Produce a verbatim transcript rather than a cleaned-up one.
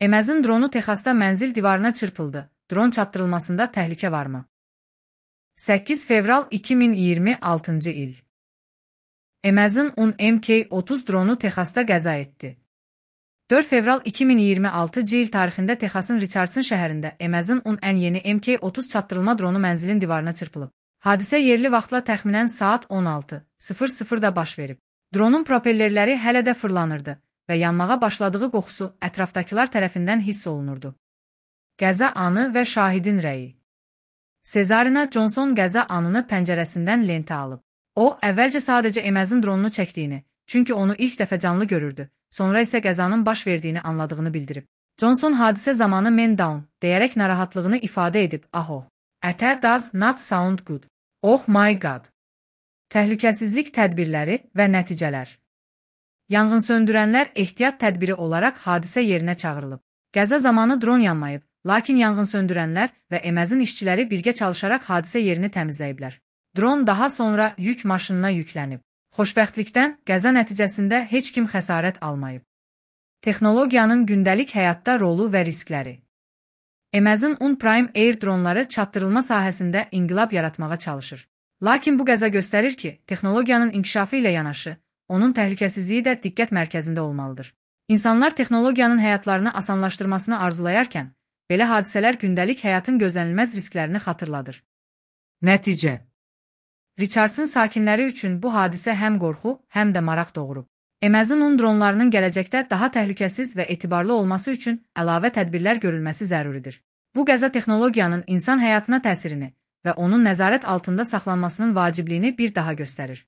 Amazon dronu Texasda mənzil divarına çırpıldı. Dron çatdırılmasında təhlükə varmı? səkkiz fevral iki min iyirmi altıncı il. Amazon on M K otuz dronu Texasda qəza etdi. dörd fevral iki min iyirmi altıncı il tarixində Texasın Richardson şəhərində Amazon on ən yeni M K otuz çatdırılma dronu mənzilin divarına çırpılıb. Hadisə yerli vaxtla təxminən saat on altı sıfır sıfırda baş verib. Dronun propellerləri hələ də fırlanırdı və yanmağa başladığı qoxusu ətrafdakılar tərəfindən hiss olunurdu. Qəza anı və şahidin rəyi. Cesarina Johnson qəza anını pəncərəsindən lentə alıb. O, əvvəlcə sadəcə Amazon dronunu çəkdiyini, çünki onu ilk dəfə canlı görürdü, sonra isə qəzanın baş verdiyini anladığını bildirib. Johnson hadisə zamanı "man down" deyərək narahatlığını ifadə edib, "Aho, that does not sound good. Oh my god." Təhlükəsizlik tədbirləri və nəticələr. Yanğınsöndürənlər ehtiyat tədbiri olaraq hadisə yerinə çağırılıb. Qəza zamanı dron yanmayıb, lakin yanğınsöndürənlər və Amazon işçiləri birgə çalışaraq hadisə yerini təmizləyiblər. Dron daha sonra yük maşınına yüklənib. Xoşbəxtlikdən qəza nəticəsində heç kim xəsarət almayıb. Texnologiyanın gündəlik həyatda rolu və riskləri. Amazon on Prime Air dronları çatdırılma sahəsində inqilab yaratmağa çalışır. Lakin bu qəza göstərir ki, texnologiyanın inkişafı ilə yanaşı, onun təhlükəsizliyi də diqqət mərkəzində olmalıdır. İnsanlar texnologiyanın həyatlarını asanlaşdırmasını arzulayarkən, belə hadisələr gündəlik həyatın gözlənilməz risklərini xatırladır. Nəticə. Richardson sakinləri üçün bu hadisə həm qorxu, həm də maraq doğurub. Amazon on dronlarının gələcəkdə daha təhlükəsiz və etibarlı olması üçün əlavə tədbirlər görülməsi zəruridir. Bu qəza texnologiyanın insan həyatına təsirini və onun nəzarət altında saxlanmasının vacibliyini bir daha göstərir.